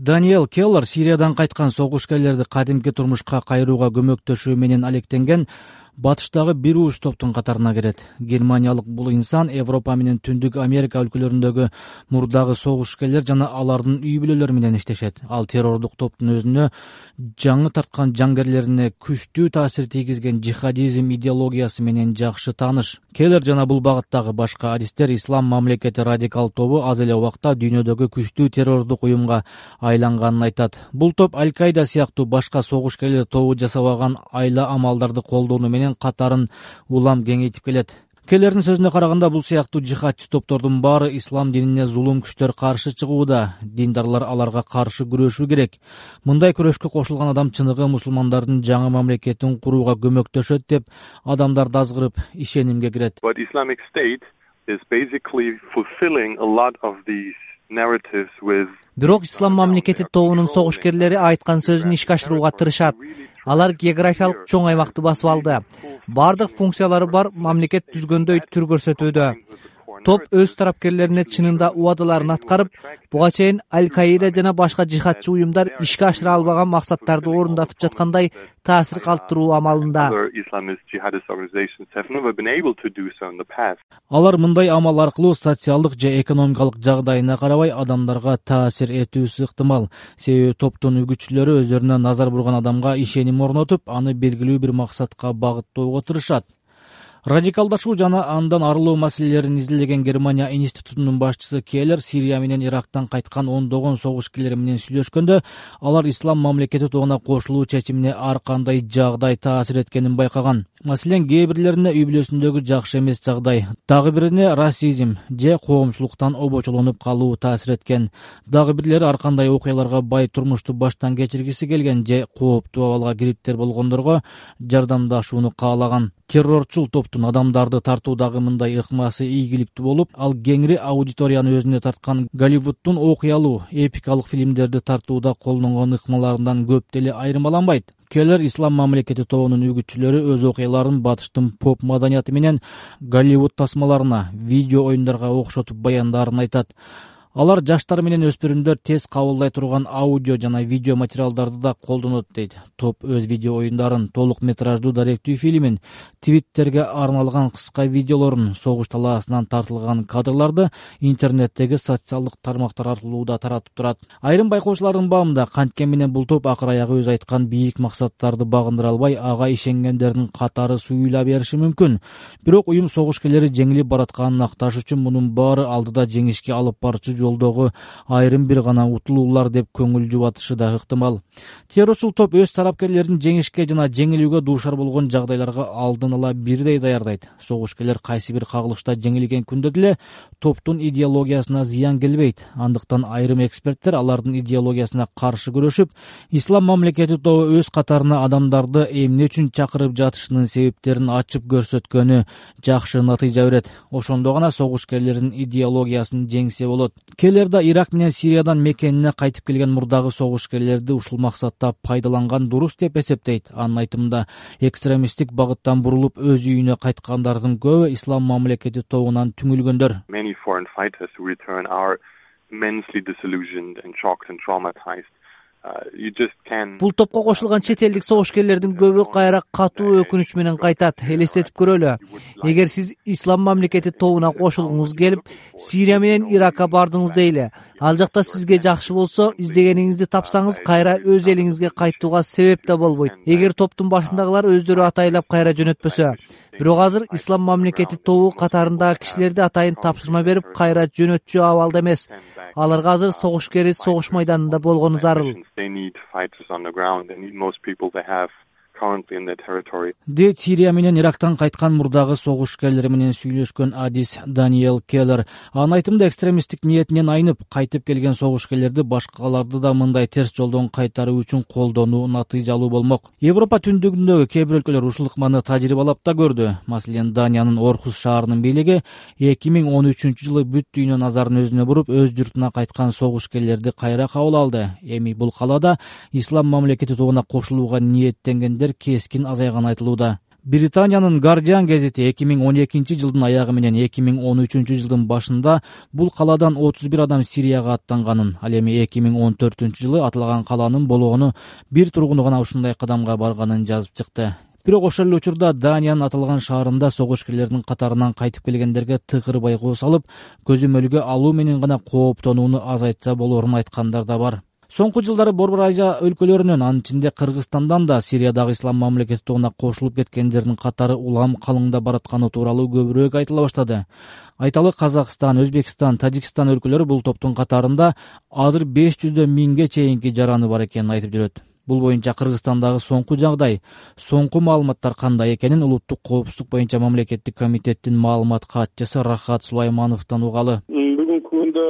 Даниэл Келлер Сириядан кайткан согушкерлерди кадимки турмушка кайрууга көмөктөшүү менен алектенген батыштагы бир ууш топтун катарына кирет. Германиялык бул инсан Европа менен Түндүк Америка өлкөлөрүндөгү мурдагы согушкерлер жана алардын үй бүлөлөрү менен иштешет. Ал террордук топтун өзүнө жаңы тарткан жангерлерине күчтүү таасир тийгизген джихадизм идеологиясы менен жакшы тааныш. Келлер жана бул багыттагы башка адистер Ислам мамлекети радикал тобу аз эле убакта дүйнөдөгү күчтүү террордук уюмга айланганын айтат. Бул топ Аль-Каида сыяктуу башка согушкерлер тобу жасабаган айла амалдарды колдонуу менен катарын улам кеңейтип келет. Келлердин сөзүнө караганда, бул сыяктуу жихадчы топтордун баары ислам динине зулум күчтөр каршы чыгууда. Диндарлар аларга каршы күрөшүү керек. Мындай күрөшкө кошулган адам чыныгы мусулмандардын жаңы мамлекетин курууга көмөктөшөт деп адамдарды азгырып ишенимге кирет. But Islamic State is basically fulfilling a lot of these narratives with Бирок ислам мамлекети тобунун согушкерлери айткан сөзүн ишке ашырууга тырышат. Алар географиялык чоң аймакты басып алды. Бардык функциялары бар мамлекет түзгөндөй түр көрсөтүүдө. Топ өз тарапкерлерине чынында убадаларын аткарып, буга чейин Аль-Каида жана башка жихадчы уюмдар ишке ашыра албаган максаттарды орундатып жаткандай таасир калтыруу амалында. Алар мындай амал аркылуу социалдык же экономикалык жагдайына карабай адамдарга таасир этүүсү ыктымал. Себеби топтун үгүтчүлөрү өздөрүнө назар бурган адамга ишеним орнотуп, аны белгилүү бир максатка багыттоого тырышат. Радикалдашуу жана андан арылуу маселелерин изилдеген Германия институтунун башчысы Келлер Сирия менен Ирактан кайткан ондогон согушкерлер менен сүйлөшкөндө, алар ислам мамлекети тобуна кошулуу чечимине ар кандай жагдай таасир эткенин байкаган. Маселен, кээ бирлерине үй бүлөсүндөгү жакшы эмес жагдай, дагы бирине расизм же коомчулуктан обочолонуп калуу таасир эткен. Дагы бирлери ар кандай окуяларга бай турмушту баштан кечиргиси келген же кооптуу абалга кириптер болгондорго жардамдашууну каалаган. Террорчул топтун адамдарды тартуудагы мындай ыкмасы ийгиликтүү болуп, ал кеңири аудиторияны өзүнө тарткан Голливудтун окуялуу, эпикалык фильмдерди тартууда колдонгон ыкмаларынан көп деле айырмаланбайт. Келлер ислам мамлекети тобунун үгүтчүлөрү өз окуяларын батыштын поп маданияты менен Голливуд тасмаларына, видео оюндарга окшотуп баяндарын айтат. Алар жаштар менен өспүрүмдөр тез кабылдай турган аудио жана видео материалдарды да колдонот дейт. Топ өз видео оюндарын, толук метраждуу даректүү фильмин, твиттерге арналган кыска видеолорун, согуш талаасынан тартылган кадрларды интернеттеги социалдык тармактар аркылуу да таратып турат. Айрым байкоочулардын баамында, канткен менен бул топ акыр аягы өз айткан бийик максаттарды багындыра албай, ага ишенгендердин катары суюйла бериши мүмкүн. Бирок уюм согушкерлери жеңилип баратканын акташ үчүн мунун баары алдыда жеңишке алып барчу жолдогу айрым бир гана утулуулар деп көңүл жубатышы да ыктымал. Террорчул топ өз тарапкерлерин жеңишке жана жеңилүүгө дуушар болгон жагдайларга алдын ала бирдей даярдайт. Согушкерлер кайсы бир кагылышта жеңилген күндө деле топтун идеологиясына зыян келбейт. Андыктан айрым эксперттер алардын идеологиясына каршы күрөшүп, ислам мамлекети тобу өз катарына адамдарды эмне үчүн чакырып жатышынын себептерин ачып көрсөткөнү жакшы натыйжа берет. Ошондо гана согушкерлердин идеологиясын жеңсе болот. Келлер да Ирак менен Сириядан мекенине кайтып келген мурдагы согушкерлерди ушул максатта пайдаланган дурус деп эсептейт. Анын айтымында, экстремисттик багыттан бурулуп өз үйүнө кайткандардын көбү ислам мамлекети тобунан түңүлгөндөр. Many foreign fighters who return are immensely disillusioned and shocked and traumatized. Бул топко кошулган чет элдик согушкерлердин көбү кайра катуу өкүнүч менен кайтат. Элестетип көрөлү. Эгер сиз ислам мамлекети тобуна кошулгуңуз келип, Сирия менен Иракка бардыңыз дейли. Ал жакта сизге жакшы болсо, издегениңизди тапсаңыз, кайра өз элиңизге кайтууга себеп да болбойт. Эгер топтун башындагылар өздөрү атайлап кайра жөнөтпөсө. Бирок азыр ислам мамлекети тобу катарындагы кишилерди атайын тапшырма берип, кайра жөнөтчү абалда эмес. Аларга азыр согушкери согуш майданында болгону зарыл. Дейт Сирия менен Ирактан кайткан мурдагы согушкерлер менен сүйлөшкөн адис Даниэл Келлер. Анын айтымында, экстремисттик ниетинен айнып, кайтып келген согушкерлерди башкаларды да мындай терс жолдон кайтаруу үчүн колдонуу натыйжалуу болмок. Европа түндүгүндөгү кээ бир өлкөлөр ушул ыкманы тажрыйбалап да көрдү. Маселен, Даниянын Орхус шаарынын бийлиги 2013-жылы бүт дүйнө назарын өзүнө буруп, өз журтуна кайткан согушкерлерди кайра кабыл алды. Эми бул калаада ислам мамлекети тобуна кошулууга ниеттенгендер кескин азайганы айтылууда. Британиянын Guardian гезити 2012 жылдын аягы менен 2013 жылдын башында бул калаадан 31 адам Сирияга аттанганын, ал эми 2014 жылы аталган калаанын болгону бир тургуну гана ушундай кадамга барганын жазып чыкты. Бирок ошол эле учурда Даниянын аталган шаарында согушкерлердин катарынан кайтып келгендерге тыгыр байгуу салып, көзөмөлгө алуу менен гана кооптонууну азайтса болорун айткандар да бар. Соңку жылдары Борбор Азия өлкөлөрүнөн, анын ичинде Кыргызстандан да Сириядагы ислам мамлекети тобуна кошулуп кеткендердин катары улам калыңдап баратканы тууралуу көбүрөөк айтыла баштады. Айталы Казакстан, Өзбекстан, Тажикстан өлкөлөрү бул топтун катарында азыр 500 миңге чейинки жараны бар экенин айтып жүрөт. Бул боюнча Кыргызстандагы соңку жагдай, соңку маалыматтар кандай экенин Улуттук коопсуздук боюнча мамлекеттик комитеттин маалымат катчысы Рахат Сулаймановдон угалы. Бүгүнкү күндө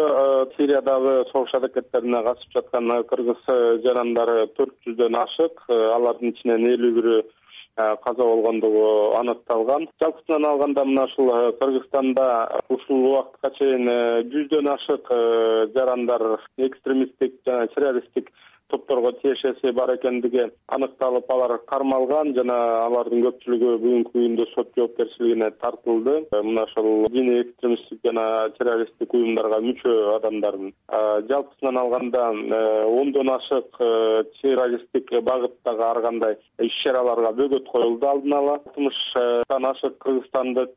Сириядагы согуш аракеттерине катышып жаткан кыргыз жарандары 400дөн ашык, алардын ичинен 51 каза болгондугу анықталган. Жалпысынан алганда мына ушул Кыргызстанда ушул убакытка чейин 100дөн ашык жарандар экстремисттик жана террористтик топторго тиешеси бар экендиги аныкталып, алар кармалган жана алардын көпчүлүгү бүгүнкү күндө сот жоопкерчилигине тартылды. Мына ошол диний экстремисттик жана террористтик уюмдарга мүчө адамдардын жалпысынан алганда 10дон ашык террористтик багыттагы ар кандай иш-чараларга бөгөт коюлду алдын ала. 60тан ашык кыргызстандык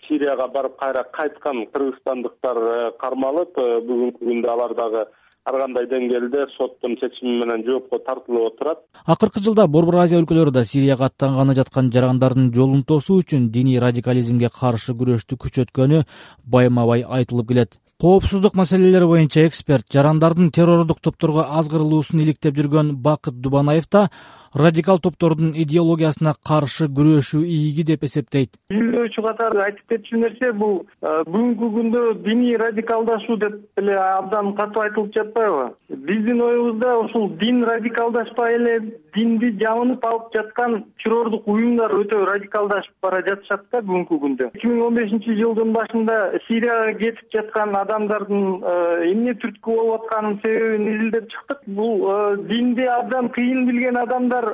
Сирияга барып кайра кайткан кыргызстандыктар кармалып, бүгүнкү күндө алар дагы ар кандай деңгээлде соттун чечими менен жоопко тартылып отурат. Акыркы жылда Борбор Азия өлкөлөрү да Сирияга аттанганы жаткан жарандардын жолун тосуу үчүн диний радикализмге каршы күрөштү күчөткөнү байма-бай айтылып келет. Коопсуздук маселелери боюнча эксперт, жарандардын террордук топторго азгырылуусун иликтеп жүргөн Бакыт Дубанаев да радикал топтордун идеологиясына каршы күрөшүү ийги деп эсептейт. Изилдөөчү катары айтып кетчү нерсе бул бүгүнкү күндө диний радикалдашуу деп эле абдан катуу айтылып жатпайбы? Биздин оюбузда ушул дин радикалдашпай эле динди жамынып алып жаткан террордук уюмдар өтө радикалдашып бара жатышат да бүгүнкү күндө. 2015 жылдын башында Сирияга кетип жаткан адамдардын эмне түрткү болуп атканын себебин изилдеп чыктык. Бул динди абдан кыйын билген адамдар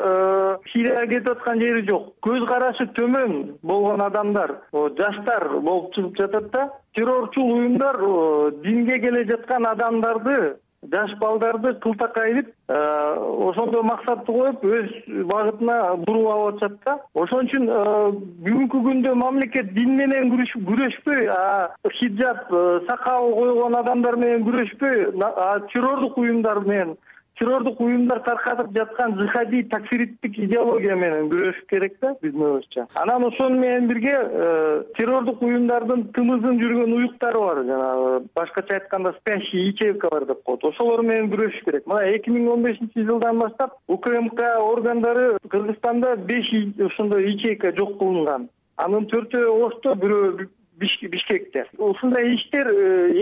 Сирияга кетип аткан жери жок. Көз карашы төмөн болгон адамдар, жаштар болуп чыгып жатат да. Террорчул уюмдар динге келе жаткан адамдарды, жаш балдарды кылтакайып, ошондой максатты коюп өз багытына буруп алып атышат да. Ошон үчүн бүгүнкү күндө мамлекет дин менен күрөшпөй, хиджаб, сакал койгон адамдар менен күрөшпөй, террордук уюмдар менен, террордук уюмдар таркатып жаткан жихадий такфириттик идеология менен күрөшүш керек да биздин оюбузча. Анан ошону менен бирге террордук уюмдардын тымызын жүргөн уюктары бар, жана башкача айтканда спящий ячейкалар деп коет. Ошолор менен күрөшүш керек. Мына 2015 жылдан баштап УКМК органдары Кыргызстанда 5 ошондой ячейка жок кылынган. Анын 4-өө Ошто, бирөө Бишкекте. Ушундай иштер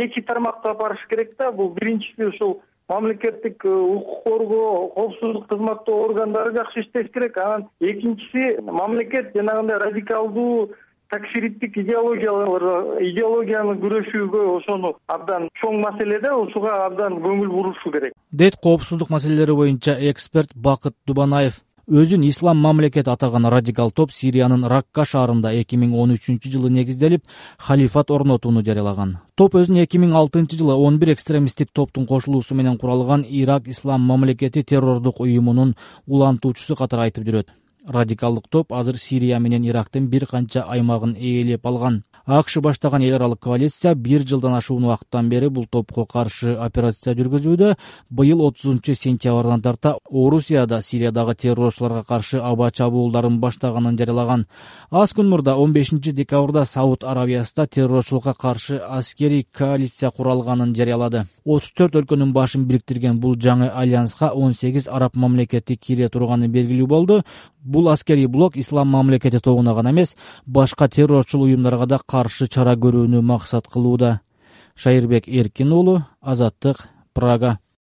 эки тармакта барыш керек да. Бул биринчиси ушул мамлекеттик укук коргоо, коопсуздук кызматтоо органдары жакшы иштеш керек. Анан экинчиси мамлекет жанагындай радикалдуу такфириттик идеологияны күрөшүүгө ошону абдан чоң маселеде, ошуга абдан көңүл бурушу керек. Дейт коопсуздук маселелери боюнча эксперт Бакыт Дубанаев. Өзүн ислам мамлекети атаган радикал топ Сириянын Ракка шаарында 2013 жылы негизделип, халифат орнотууну жарыялаган. Топ өзүн 2006 жылы 11 экстремисттик топтун кошулуусу менен куралган Ирак ислам мамлекети террордук уюмунун улантуучусу катары айтып жүрөт. Радикалдык топ азыр Сирия менен Ирактын бир канча аймагын ээлеп алган. АКШ баштаган эл аралык коалиция 1 жылдан ашуун убакыттан бери бул топко каршы операция жүргүзүүдө. Быйыл 30-сентябрдан тарта Орусияда Сириядагы террорчуларга каршы аба чабуулдарын баштаганын жарыялаган. Аз күн мурда 15 декабрда Сауд Арабиясында террорчулукка каршы аскерий коалиция куралганын жарыялады. 34 өлкөнүн башын бириктирген бул жаңы альянска 18 араб мамлекети кире турганы белгилүү болду. Бул аскерий блок ислам мамлекети тобуна гана эмес, башка террорчул уюмдарга да каршы чара көрүүнү максат кылууда. Шайырбек Эркин уулу, Азаттык, Прага.